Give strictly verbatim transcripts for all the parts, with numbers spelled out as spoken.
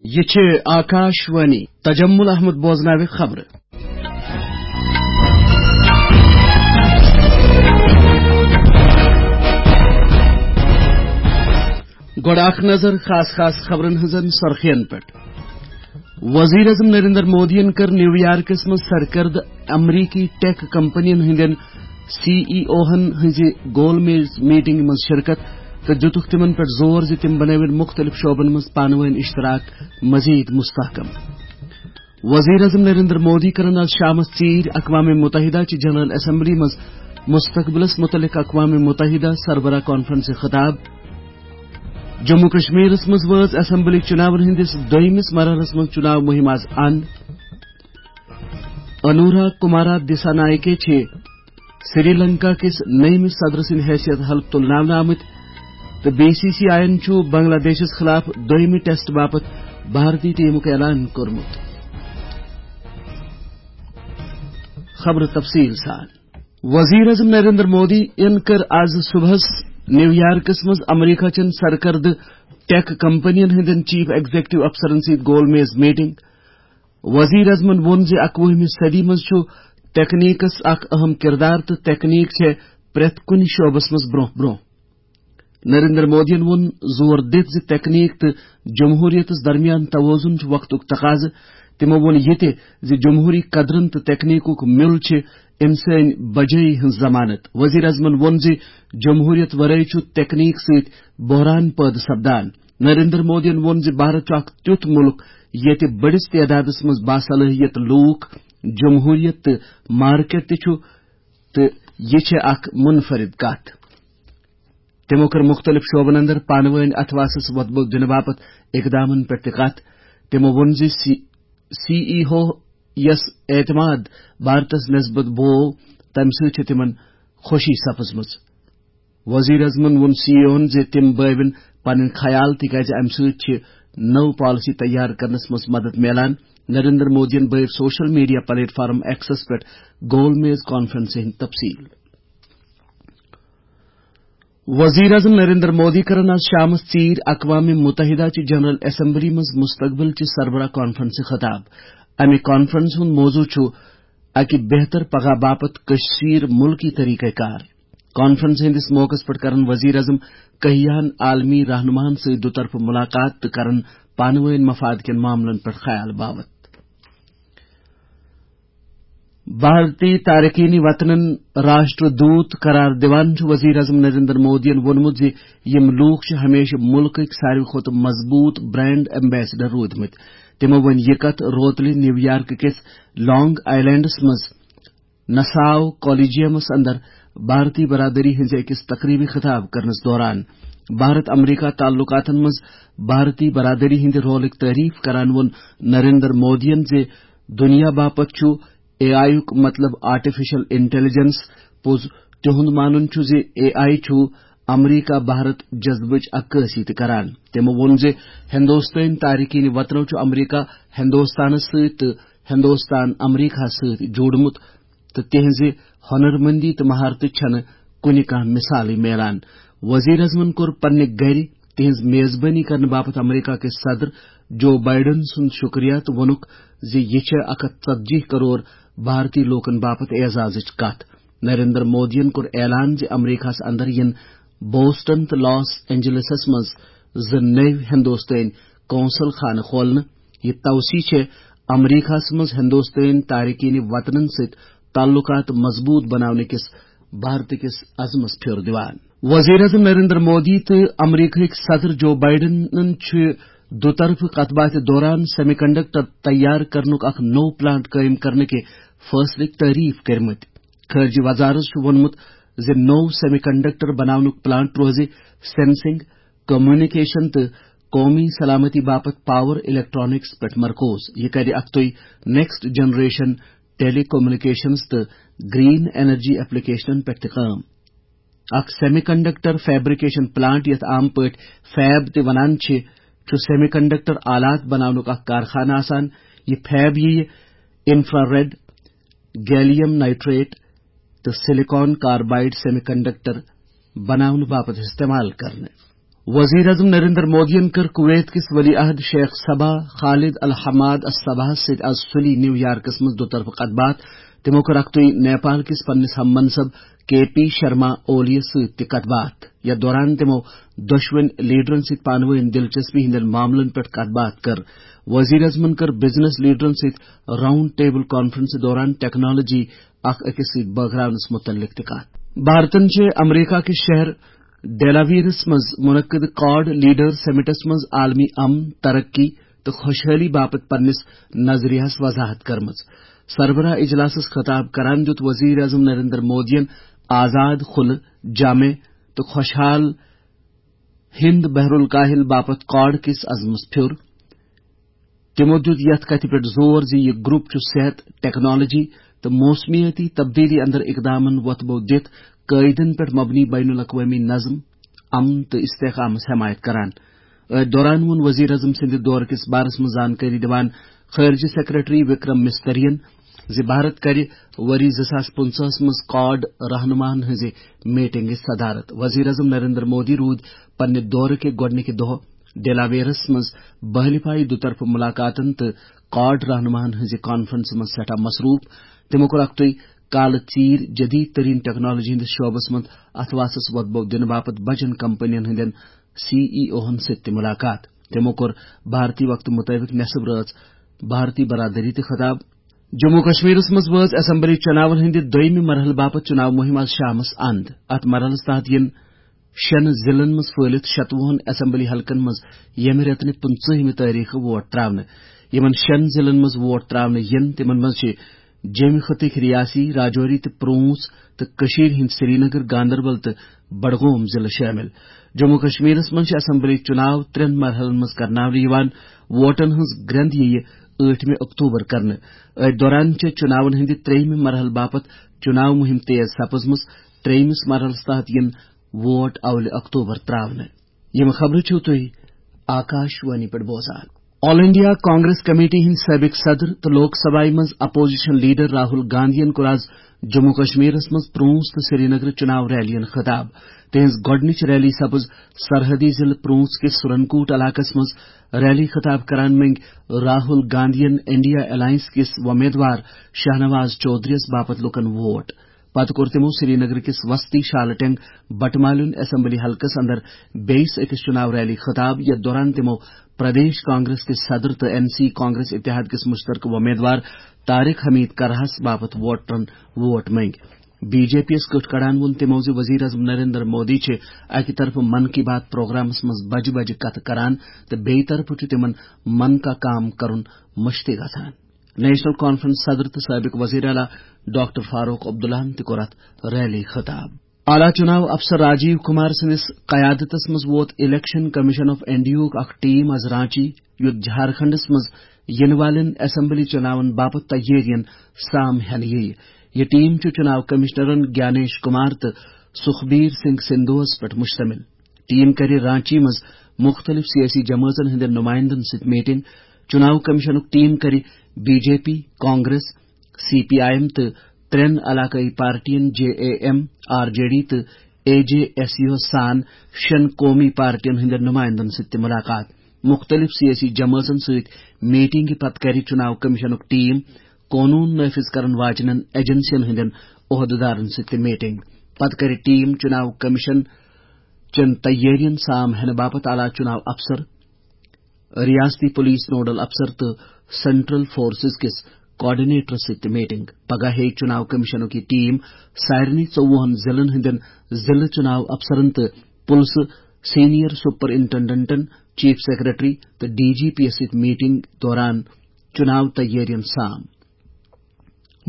یہِ چھِ آکاش وانی۔ تجمل احمد بوزناوِ خبرٕ۔ گۄڈٕ اکھ نظر خاص خاص خبرن ہٕنٛزن سرخین پٮ۪ٹھ۔ وزیر اعظم نریندر مودیَن کٔر نیو یارکس منٛز سرکردٕ امریکی ٹیک کمپنین ہٕنٛدٮ۪ن سی ای اوہن ہٕنٛزِ گول میز میٹنگہِ منٛز شرکت تہٕ دِتُکھ تِمن پٮ۪ٹھ زور زِ تِم بنٲوِن مُختٔلِف شعبن منٛز پانہٕ وٲنۍ اشتراک مزید مستحکم۔ وزیر اعظم نریندر مودی کرن آز شامس ژیرۍ اقوام متحدہ چہِ جنرل اسمبلی منٛز مستقبلس متعلق اقوام متحدہ سربراہ کانفرنسہِ خطاب۔ جموں کشمیرس منٛز وٲژ اسمبلی چُناون ہٕنٛدِس دوٚیمِس مرحلس منٛز چُناو مُہِم آز اند۔ انورا کمارا دسا نایکے چھِ سری لنکا کِس نٔیمِس صدر سٕنٛدِ حیثیت حلف تُلناونہٕ آمٕتۍ تہٕ بی سی سی آیَن چھُ بنگلہ دیشس خلاف دوٚیمہِ ٹیسٹ باپتھ بھارتی ٹیمُک اعلان کوٚرمُت۔ خبرٕ تفصیٖل سان۔ وزیر اعظم نریندر مودی ین کٔر آز صبحس نیو یارکس منٛز امریکہ چٮ۪ن سرکردٕ ٹیک کمپنین ہٕنٛدٮ۪ن چیف ایگزیکٹو افسرن سۭتۍ گول میز میٹنگ۔ وزیر اعظمن ووٚن زِ اکوُہمہِ صدی منٛز چھُ تکنیکس اکھ اہم کردار تہٕ تکنیک چھےٚ پرٛٮ۪تھ کُنہِ شعبس منٛز برونٛہہ برونٛہہ۔ نریندر مودیَن ووٚن زور دِتھ زِ تکنیک تہٕ جمہوریتس درمیان توازن چھُ وقتُک تقاضہٕ۔ تِمو ووٚن یہِ تہِ زِ جمہوری قدرن تہٕ تکنیکُک میُل چھِ انسٲنی بجٲیی ہٕنٛز ضمانت۔ وزیر اعظمن ووٚن زِ جمہوریت ورٲے چھُ تکنیک سۭتۍ بحران پٲدٕ سپدان۔ نریندر مودیَن ووٚن زِ بھارت چھُ اکھ تیُتھ مُلک ییٚتہِ بٔڑِس تعدادس منٛز باصلٲحیت لوٗکھ، جمہوریت تہٕ مارکیٹ تہِ چھُ، تہٕ یہِ چھےٚ اکھ منفرد کتھ۔ تِمو کٔر مُختٔلِف شعبن اندر پانہٕ وٲنۍ اتھواسس وۄتبو دِنہٕ باپتھ اقدامن پٮ۪ٹھ تہِ کتھ۔ تِمو ووٚن زِ سی، سی ای او یس اعتماد بھارتس نسبت بوو، تمہِ سۭتۍ چھِ تِمن خوشی سپٕزمٕژ۔ وزیر اعظمن ووٚن سی ای اوہن زِ تِم بٲوِن پنٕنۍ خیال، تِکیازِ امہِ سۭتۍ چھِ نٔو پالیسی تیار کرنس منٛز مدد میلان۔ نریندر مودیَن بٲوۍ سوشل میڈیا پلیٹ فارم ایکسس پٮ۪ٹھ گول میز کانفرنسہِ ہٕنٛدۍ تفصیل۔ وزیر اعظم نریندر مودی کرن آز شامس ژیرۍ اقوام متحدہ چہِ جنرل اسمبلی منٛز مستقبل چہِ سربراہ کانفرنسہِ خطاب۔ امہِ کانفرنس ہُنٛد موضوع چھُ اکہِ بہتر پگاہ باپتھ کشیر ملکی طریقہ کار۔ کانفرنس ہٕنٛدِس موقعس پٮ۪ٹھ کرن وزیر اعظم کہیاہن عالمی رہنماہن سۭتۍ دُطرفہٕ ملاقات تہٕ کرن پانہٕ وٲنۍ مفاد کٮ۪ن معاملن پٮ۪ٹھ خیال باوت۔ بھارتی تارکین وطنن راشٹر دوت قرار دِوان چھُ وزیر اعظم نریندر مودیَن ووٚنمُت زِ یِم لوٗکھ چھِ ہمیشہِ مُلکٕکۍ ساروی کھۄتہٕ مضبوٗط برانڈ ایمبیسڈر روٗدمٕتۍ۔ تِمو ووٚن یہِ کتھ روتلہِ نیو یارک کِس لانگ آیلینڈس منٛز نساو کالیجیمس اندر بھارتی برادری ہٕنٛزِ أکِس تقریبہِ خطاب کرنس دوران۔ بھارت امریکہ تعلقاتن منٛز بھارتی برادری ہٕنٛدِ رولٕکۍ تعریف کران ووٚن نریندر مودیَن زِ دُنیا باپتھ چھُ اے آئی یُک مطلب آرٹیفیشل انٹیلیجنس۔ پوٚز تِہُنٛد مانُن چھُ زِ اے آئی چھُ امریکہ بھارت جذبٕچ عکٲسی تہِ کران۔ تِمو ووٚن زِ ہندوستٲنۍ تارکین وطنو چھُ امریکہ ہندوستانس سۭتۍ تہٕ ہندوستان امریکہس سۭتۍ جوڑمُت تہٕ تِہنٛزِ ہۄنرمندی تہٕ مہارتٕچ چھنہٕ کُنہِ کانٛہہ مثالٕے میلان۔ وزیر اعظمن کوٚر پننہِ گرِ تِہنٛز میزبٲنی کرنہٕ باپتھ امریکہ کِس صدر جو بائیڈن سُنٛد شُکریہ تہٕ ووٚنُکھ زِ یہِ چھےٚ اکھ ہتھ ژتجی کرور بھارتی لوٗکن باپتھ اعزازٕچ کتھ۔ نریندر مودیَن کوٚر اعلان زِ امریکہس اندر یِن بوسٹن تہٕ لاس اینجلسس منٛز زٕ نٔوۍ ہندوستٲنۍ قونصل خانہٕ کھولنہٕ۔ یہِ توسیع چھےٚ امریکہس منٛز ہندوستٲنۍ تارکین وطنن سۭتۍ تعلقات مضبوٗط بناونہٕ کِس بھارت کِس عزمس پھیُر دِوان۔ وزیر اعظم نریندر مودی تہٕ امریکہٕکۍ صدر جو بائیڈنن چھِ دُطرفہٕ کتھ باتھِ دوران سیمی کنڈکٹر تیار کرنُک اکھ نوٚو پلانٹ قٲیِم کرنہٕ کہِ فٲصلٕکۍ تعریف کٔرمٕتۍ۔ خارجہ وزارت چھُ ووٚنمُت زِ نوٚو سیمی کنڈکٹر بناونُک پلانٹ روزِ سینسنگ، کمیونیکیشن تہٕ قومی سلامتی باپتھ پاور الیکٹرانکس پٮ۪ٹھ مرکوز۔ یہِ کرِ اکھتُے نیکسٹ جنریشن ٹیلی کمیونیکیشنز تہٕ گرین انرجی ایپلیکیشنن پٮ۪ٹھ تہِ کٲم۔ اکھ سیمی کنڈکٹر فیبریکیشن پلانٹ، یتھ عام پٲٹھۍ فیب تہِ ونان چھِ، چھُ سیمی کنڈکٹر آلات بناونُک اکھ کارخانہٕ آسان۔ یہِ فیب یِیہِ انفراریڈ، گیلیم نائٹریٹ تہٕ سلیکان کاربائیڈ سیمی کنڈکٹر بناونہٕ باپتھ استعمال کرنہٕ۔ وزیر اعظم نریندر مودیَن کٔر کویت کِس ولی عہد شیخ صبا خالد الحماد الصباہَس سۭتۍ آز سُلی نیو یارکس منٛز دُطرفہٕ کتھ باتھ۔ تِمو کٔر اکھتُے نیپال کِس پننِس ہم منصب کے پی شرما اولی یَس سۭتۍ تہِ کتھ باتھ۔ یتھ دوران تِمو دۄشوٕنۍ لیڈرن سۭتۍ پانہٕ وٲنۍ دلچسپی ہٕنٛدٮ۪ن معاملن پٮ۪ٹھ کتھ باتھ کٔر۔ وزیر اعظمن کٔر بزنس لیڈرن سۭتۍ راؤنڈ ٹیبل کانفرنس دوران ٹیکنالوجی اکھ أکِس سۭتۍ بٲگراونس متعلق تہِ کتھ۔ بھارتن چھِ امریکہ کِس شہر ڈیلاویئرس منٛز منعقد کواڈ لیڈر سمٹس منٛز عالمی امن، ترقی تہٕ خۄشحٲلی باپتھ پننِس نظریہس وضاحت کٔرمٕژ۔ سربراہ اجلاسس خطاب کران دیُت وزیر اعظم نریندر مودیَن آزاد، کھُلہٕ، جامع تہٕ خۄشحال ہند بحر الکاہل باپتھ کواڈ کِس عزمس پھیُر۔ تِمو دیُت یتھ کتھِ پٮ۪ٹھ زور زِ یہِ گروپ چھُ صحت، ٹیکنالوجی تہٕ موسمیٲتی تبدیلی اندر اقدامن وۄتھٕ بو دِتھ قٲعدن پٮ۪ٹھ مبنی بین الاقوٲمی نظم، امن تہٕ استحکامس حمایت کران۔ أتھۍ دوران ووٚن وزیر اعظم سٕنٛدِ دورٕ کِس بارس منٛز زانکٲری دِوان خارجہ سیکرٹری وکرم مسترین زِ بھارت کرِ ؤری زٕ ساس پٕنٛژٕہَس منٛز کواڈ رہنماہن ہٕنٛزِ میٹنگہِ صدارت۔ وزیر اعظم نریندر مودی روٗدۍ پننہِ دورٕ کہِ گۄڈٕنِکہِ دۄہ ڈیلاویئرس منٛز بہلہِ پایہِ دُطرفہٕ ملاقاتن تہٕ کواڈ رہنماہن ہٕنٛزِ کانفرنسہِ منٛز سٮ۪ٹھاہ مصروٗف۔ تِمو کوٚر اکھتُے کالہٕ ژیٖرۍ جدید ترین ٹیکنالوجی ہٕنٛدِس شعبس منٛز اتھواسس وۄتبو دِنہٕ باپتھ بجن کمپنین ہٕنٛدٮ۪ن سی ای اوہن سۭتۍ تہِ ملاقات۔ تِمو کوٚر بھارتی وقتہٕ مطٲبق نصف رٲژ بھارتی برادری تہِ خطاب۔ جموں کشمیرس منٛز وٲژ اسمبلی چناون ہٕنٛدِ دوٚیمہِ مرحلہٕ باپتھ چناو مہم آز شامس اند۔ اتھ مرحلس تحت یِن شٮ۪ن ضلعن منٛز پھٲلِتھ شتوُہن اسمبلی حلقن منٛز ییٚمہِ رٮ۪تہٕ نہِ پٕنٛژٕہمہِ تٲریخہٕ ووٹ تراونہٕ۔ یِمن شٮ۪ن ضلعن منٛز ووٹ تراونہٕ یِن، تِمن منٛز چھِ جیٚمہِ خطٕکۍ ریاسی، راجوری تہٕ پرونس تہٕ کٔشیٖرِ ہٕنٛدۍ سرینگر، گاندربل تہٕ بڈگوم ضلعہٕ شٲمِل۔ جموں کشمیرس منٛز چھِ اسمبلی چناو ترٛٮ۪ن مرحلن منٛز کرناونہٕ یِوان۔ ووٹن ہٕنٛز گرٛنٛد یِیہِ ٲٹھمہِ اکتوبر کرنہٕ۔ أتھۍ دوران چھِ چناون ہٕنٛدِ ترٛیٚیمہِ مرحلہٕ باپتھ چناو مہم تیز سپٕزمٕژ۔ ترٛیٚیمِس مرحلس تحت یِن ووٹ اولہِ اکتوبر تراونہٕ۔ یِم خبرٕ چھِو تُہۍ آکاش وانی پٮ۪ٹھ بوزان۔ آل انڈیا کانگریس کمیٹی ہٕنٛدۍ سٲبق صدر تہٕ لوک سبھایہ منٛز اپوزیشن لیڈر راہل گاندھین کوٚر آز جموں کشمیرس منٛز پرونس تہٕ سرینگرٕ چناو ریلین خطاب۔ تہنٛز گۄڈٕنِچ ریلی سپٕز سرحدی ضلعہٕ پرونس کِس سورنکوٹ علاقس منٛز۔ ریلی خطاب کران منٛگۍ راہل گاندھین انڈیا الائنس کِس وۄمیدوار شاہنواز چودھریَس باپتھ لوٗکن ووٹ۔ پتہٕ کوٚر تِمو سرینگر کِس وسطی شالٹینگ بٹمالیُن اسمبلی حلقس اندر بیٚیِس أکِس چُناو ریلی خطاب، یتھ دوران تِمو پردیش کانگریس کِس صدر تہٕ این سی کانگریس اتحاد کِس مشترکہٕ وۄمیدوار طارق حمید کرہَس باپتھ ووٹرن ووٹ منٛگۍ۔ بی جے پی یَس کٔٹھ کڑان ووٚن تِمو زِ وزیر اعظم نریندر مودی چھِ اکہِ طرفہٕ من کی بات پروگرامس منٛز بجہِ بجہِ کتھٕ کران تہٕ بیٚیہِ طرفہٕ چھُ تِمن من کا کام کرُن مٔشتٕے گژھان۔ نیشنل کانفرنس صدر تہٕ سٲبق وزیر اعلیٰ ڈاکٹر فاروق عبداللہَن تہِ کوٚر اتھ ریلی خطاب۔ اعلیٰ چُناو افسر راجیو کمار سٕنٛدِس قیادتس منٛز ووت الیکشن کمیشن آف انڈیاہُک اکھ ٹیم از رانچی، یُتھ جھارکھنڈس منٛز یِنہٕ والٮ۪ن اسمبلی چُناون باپتھ تیٲرین سام ہٮ۪نہٕ یِیہِ۔ یہِ ٹیم چھُ چُناو کمشنرن گیانیش کمار تہٕ سُخبیر سنگھ سندھوہَس پٮ۪ٹھ مشتمل۔ ٹیم کرِ رانچی منٛز مُختٔلِف سیٲسی جمٲژن ہٕنٛدٮ۪ن نُمایندن سۭتۍ میٹنگ۔ چُناو کمیشنُک ٹیم کرِ B J P, Congress, C P I M تہٕ ترٛٮ۪ن علاقٲیی پارٹین J A M, R J D تہٕ اے جے ایس یو سان شٮ۪ن قومی پارٹین ہٕنٛدٮ۪ن نُمایندن سۭتۍ تہِ مُلاقات۔ مُختٔلِف سیٲسی جمٲژن سۭتۍ میٹنگہِ پتہٕ کرِ چُناو کمیشنُک ٹیم قونوٗن نافذ کرن واجنٮ۪ن ایجنسین ہٕنٛدٮ۪ن عہدٕدارن سۭتۍ تہِ میٹنگ۔ پتہٕ کرِ ٹیم چُناو کمیشن چٮ۪ن تیٲرین سام ہٮ۪نہٕ باپتھ اعلیٰ چُناو افسر، ریاستی پولیس نوڈل افسر تہٕ سینٹرل فورسز کِس کوآرڈینیٹرس سۭتۍ تہِ میٹنگ۔ پگاہ ہیٚیہِ چُناو کمیشنُک یہِ ٹیم سارنٕے ژوٚوُہن ضلعن ہٕنٛدٮ۪ن ضلعہٕ چُناو افسرن تہٕ پُلسہٕ سینئر سپرنٹنڈنٹن، چیف سیکرٹری تہٕ ڈی جی پی یَس سۭتۍ میٹنگ دوران چُناو تیٲرین سام۔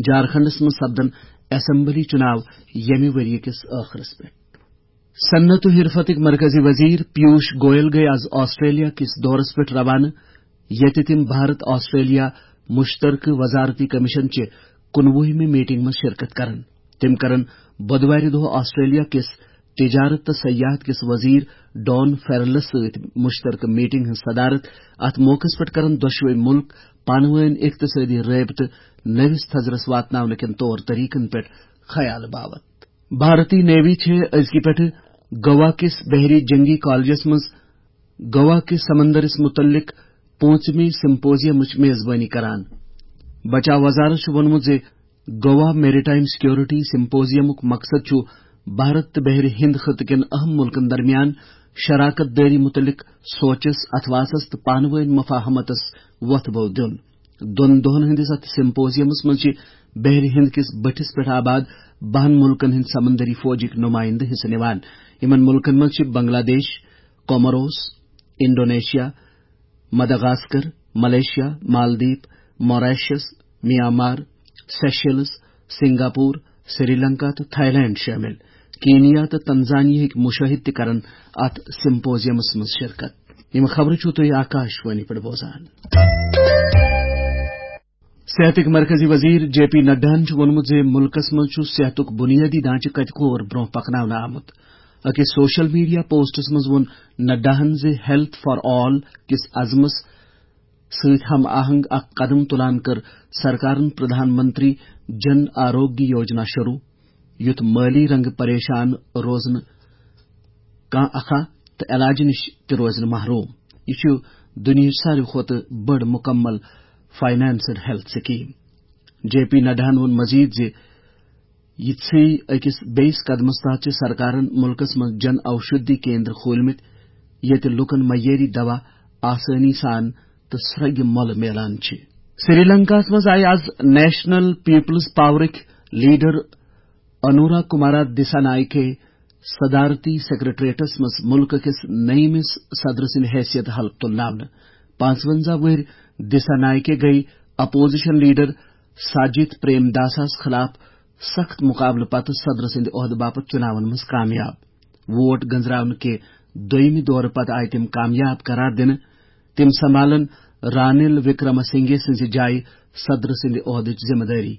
جھارکھنڈس منٛز سپدن اسمبلی چُناو ییٚمہِ ؤرۍ یہِ کِس ٲخرس پٮ۪ٹھ۔ صنعت و حرفتٕکۍ مرکزی وزیر پیوش گوئل گٔیہِ از آسٹریلیا کِس دورس پٮ۪ٹھ روانہٕ، ییٚتہِ تِم بھارت آسٹریلیا مشترکہٕ وزارتی کمیشن چہِ کُنوُہمہِ میٹنگ منٛز شرکت کرن۔ تِم کرن بۄدوارِ دۄہ آسٹریلیا کِس تجارت تہٕ سیاحت کِس وزیر ڈان فیرلس سۭتۍ مشترکہٕ میٹنگ ہٕنٛز صدارت۔ اتھ موقعس پٮ۪ٹھ کرن دۄشوے مُلک پانہٕ وٲنۍ اقتصٲدی رٲبطہٕ نٔوِس تھزرس واتناونہٕ کٮ۪ن طور طریقن پٮ۪ٹھ خیال باوتھ۔ بھارتی نیوی چھِ أزکہِ پٮ۪ٹھٕ گوا کِس بحری جنگی کالجس منٛز گوا کِس سمندرس متعلق پوٗنٛژمہِ سمپوزیمٕچ میزبٲنی کران۔ بچاو وزارت چھُ ووٚنمُت زِ گوا میریٹائم سیکورٹی سمپوزیمُک مقصد چھُ بھارت تہٕ بحر ہند خطہٕ کٮ۪ن اہم ملکن درمیان شراکت دٲری متعلق سوچس، اتھواسس تہٕ پانہٕ وٲنۍ مفاہمتس وۄتھ بو دیُن۔ دۄن دۄہن ہٕنٛدِس اتھ سمپوزیمس منٛز چھِ بحر ہند کِس بٔٹھِس پٮ۪ٹھ آباد بہن ملکن ہٕنٛدۍ سمندری فوجٕکۍ نمائندٕ حصہٕ نِوان۔ یِمن ملکن منٛز چھِ Bangladesh, Comoros, Indonesia, Madagascar, Malaysia, Maldives, Mauritius, Myanmar, Seychelles, Singapore, Sri Lanka تہٕ تھائی لینڈ شٲمِل۔ کینیا تہٕ تنزانیہٕکۍ مُشٲہِد تہِ کرن اتھ سمپوزیمس منٛز شرکت۔ یِم خبرٕ چھِو تُہۍ آکاشوانی پٮ۪ٹھ بوزان۔ صحتٕکۍ مرکزی وزیر جے پی نڈاہن چھُ ووٚنمُت زِ مُلکس منٛز چھُ صحتُک بُنیٲدی ڈھانچہٕ کتہِ کور برونٛہہ پکناونہٕ آمُت۔ أکِس سوشل میڈیا پوسٹس منٛز ووٚن نڈاہن زِ ہیلتھ فار آل کِس عزمس سۭتۍ ہم آہنگ اکھ قدم تُلان کٔر سرکارن پردھان منتری جن آروگیہ یوجنا شروع، یُتھ مٲلی رنگہٕ پریشان روزنہٕ کانٛہہ اکھا تہٕ علاجہٕ نِش تہِ روزِ نہٕ محروم۔ یہِ چھُ دُنیاہٕچ ساروی کھۄتہٕ بٔڑ مُکمل فاینانسڈ ہیلتھ سکیٖم۔ جے پی نڈاہن ووٚن مزید زِ یِتھسٕے أکِس بیٚیِس قدمس تحت چھِ سرکارن مُلکس منٛز جن اوشدھی کیندر کھوٗلمٕتۍ، ییٚتہِ لوٗکن معیٲری دوا آسٲنی سان تہٕ سرٛگہِ مۄلہٕ میلان چھِ۔ سری لنکاہس منٛز آیہِ is national Peoples پاورٕکۍ leader Anwara کمارا دسا نائکے صدارتی سیکرٹریٹس منٛز مُلکہٕ کِس نٔیمِس صدرٕ سٕنٛدِ حیثیت حلف تُلناونہٕ۔ پانٛژونٛزاہ وُہٕرۍ دسا نائکے گٔیہِ اپوزیشن لیڈر ساجد پریم داساہس خلاف سخت مقابلہٕ پتہٕ صدرٕ سٕنٛدِ عہدٕ باپتھ چُناون منٛز کامیاب۔ ووٹ گنزراونہٕ کہِ دوٚیمہِ دورٕ پتہٕ آیہِ تِم کامیاب قرار دِنہٕ۔ تِم سنبھالن رانِل وکرم سنگھے سٕنٛزِ جایہِ صدرٕ سٕنٛدِ عہدٕچ ذمہٕ دٲری۔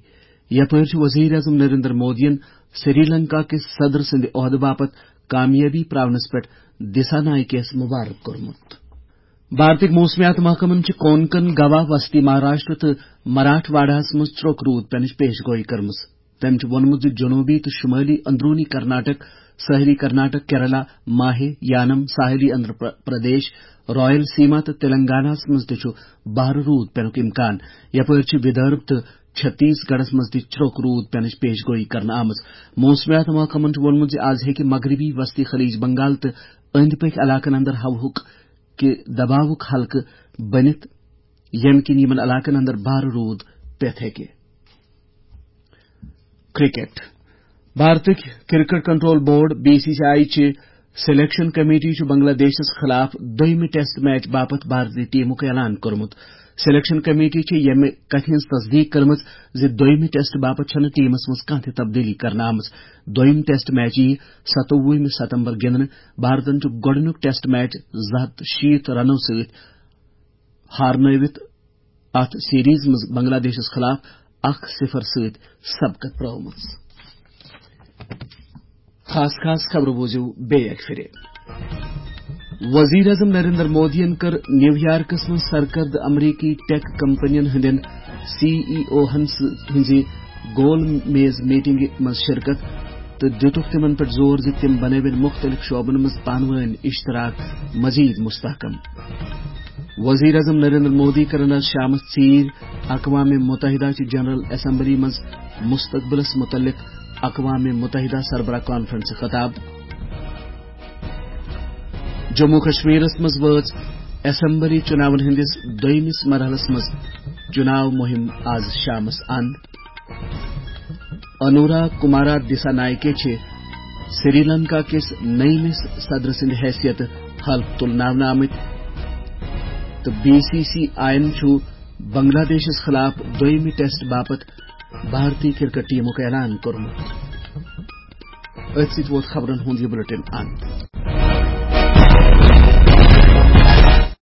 یپٲرۍ چھُ وزیر اعظم نریندر مودیَن سری لنکا کِس صدر سٕنٛدِ عہدٕ باپتھ کامیٲبی پراونس پٮ۪ٹھ دسا نائکیَس مبارک کوٚرمُت۔ بھارتٕکۍ موسمیات محکمن چھِ کونکن، گوا، وسطی مہاراشٹر تہٕ مراٹھ واڑہس منٛز ژرٛوک روٗد پینٕچ پیش گویی کٔرمٕژ۔ تٔمۍ چھُ ووٚنمُت زِ جنوبی تہٕ شمٲلی اندرونی کرناٹک، ساحلی کرناٹک، کیرلا، ماہے، یانم، ساحلی آندھرا پر-، پردیش، رائل سیما تہٕ تلنگانہ ہَس منٛز تہِ چھُ بھارٕ روٗد پینُک امکان۔ یپٲرۍ چھِ ودربھ تہٕ چھتیس گڑھس منٛز تہِ ژرٛوک روٗد پینٕچ پیش گویی کرنہٕ آمٕژ۔ موسمیات محکمن چھُ ووٚنمُت زِ آز ہیٚکہِ مغربی وسطی خلیج بنگال تہٕ أنٛدۍ پٔکھۍ علاقن اندر ہوہُک کہِ دباوُک حلقہٕ بٔنِتھ، ییٚمہِ کِنۍ یِمن علاقن اندر بھارٕ روٗد پٮ۪تھ ہیٚکہِ۔ کرکٹ۔ بھارتٕکۍ cricket control board, B C C I چہِ سلیکشن کمیٹی چھُ بنگلہ دیشس خلاف دوٚیمہِ ٹیسٹ میچ باپتھ بھارتی ٹیمُک اعلان کوٚرمُت۔ سلیکشن کمیٹی چھِ ییٚمہِ کتھِ ہٕنٛز تصدیق کٔرمٕژ زِ دوٚیمہِ ٹیسٹ باپتھ چھَنہٕ ٹیمس منٛز کانٛہہ تہِ تبدیلی کرنہٕ آمٕژ۔ دوٚیِم ٹیسٹ میچ یِیہِ ستووُہمہِ ستمبر گِنٛدنہٕ۔ بھارتن چھُ گۄڈٕنیُک ٹیسٹ میچ زٕ ہتھ شیٖتھ رنو سۭتۍ ہارنٲوِتھ اتھ سیریز منٛز بنگلہ دیشس خلاف اکھ صفر سۭتۍ سبقت پرٲومٕژ۔ خاص خاص خبرٕ بوٗزِو بیٚیہِ اکہِ پھِرِ۔ وزیر اعظم نریندر مودیَن کٔر نیو یارکس منٛز سرکردٕ امریکی ٹیک کمپنین ہٕنٛدٮ۪ن سی ای او ہن سۭ-، ہٕنٛزِ گول میز میٹنگہِ منٛز شرکت تہٕ دِتُکھ تِمن پٮ۪ٹھ زور زِ تِم بنٲوِن مُختٔلِف شعبن منٛز پانہٕ وٲنۍ اشتراک مزید مستحکم۔ وزیر اعظم نریندر مودی کرن آز شامس ژیرۍ اقوام متحدہ چہِ جنرل اسمبلی منٛز مستقبلس متعلق اقوام متحدہ سربراہ کانفرنس خطاب۔ جموں کشمیرس منٛز وٲژ اسمبلی چُناون ہٕنٛدِس دوٚیمِس مرحلس منٛز چُناو مُہِم آز شامس اند۔ انورا کمارا دسا نائکے چھِ سری لنکا کِس نٔیمِس صدر سٕنٛدِ حیثیت حلف تُلناونہٕ آمٕتۍ تہٕ بی سی سی آئی یَن چھُ بنگلہ دیشس خلاف دوٚیمہِ ٹیسٹ باپتھ بھارتی کرکٹ ٹیمُک اعلان کوٚرمُت۔ أتھۍ سۭتۍ ووت خبرن ہُنٛد یہِ بلیٹن اند۔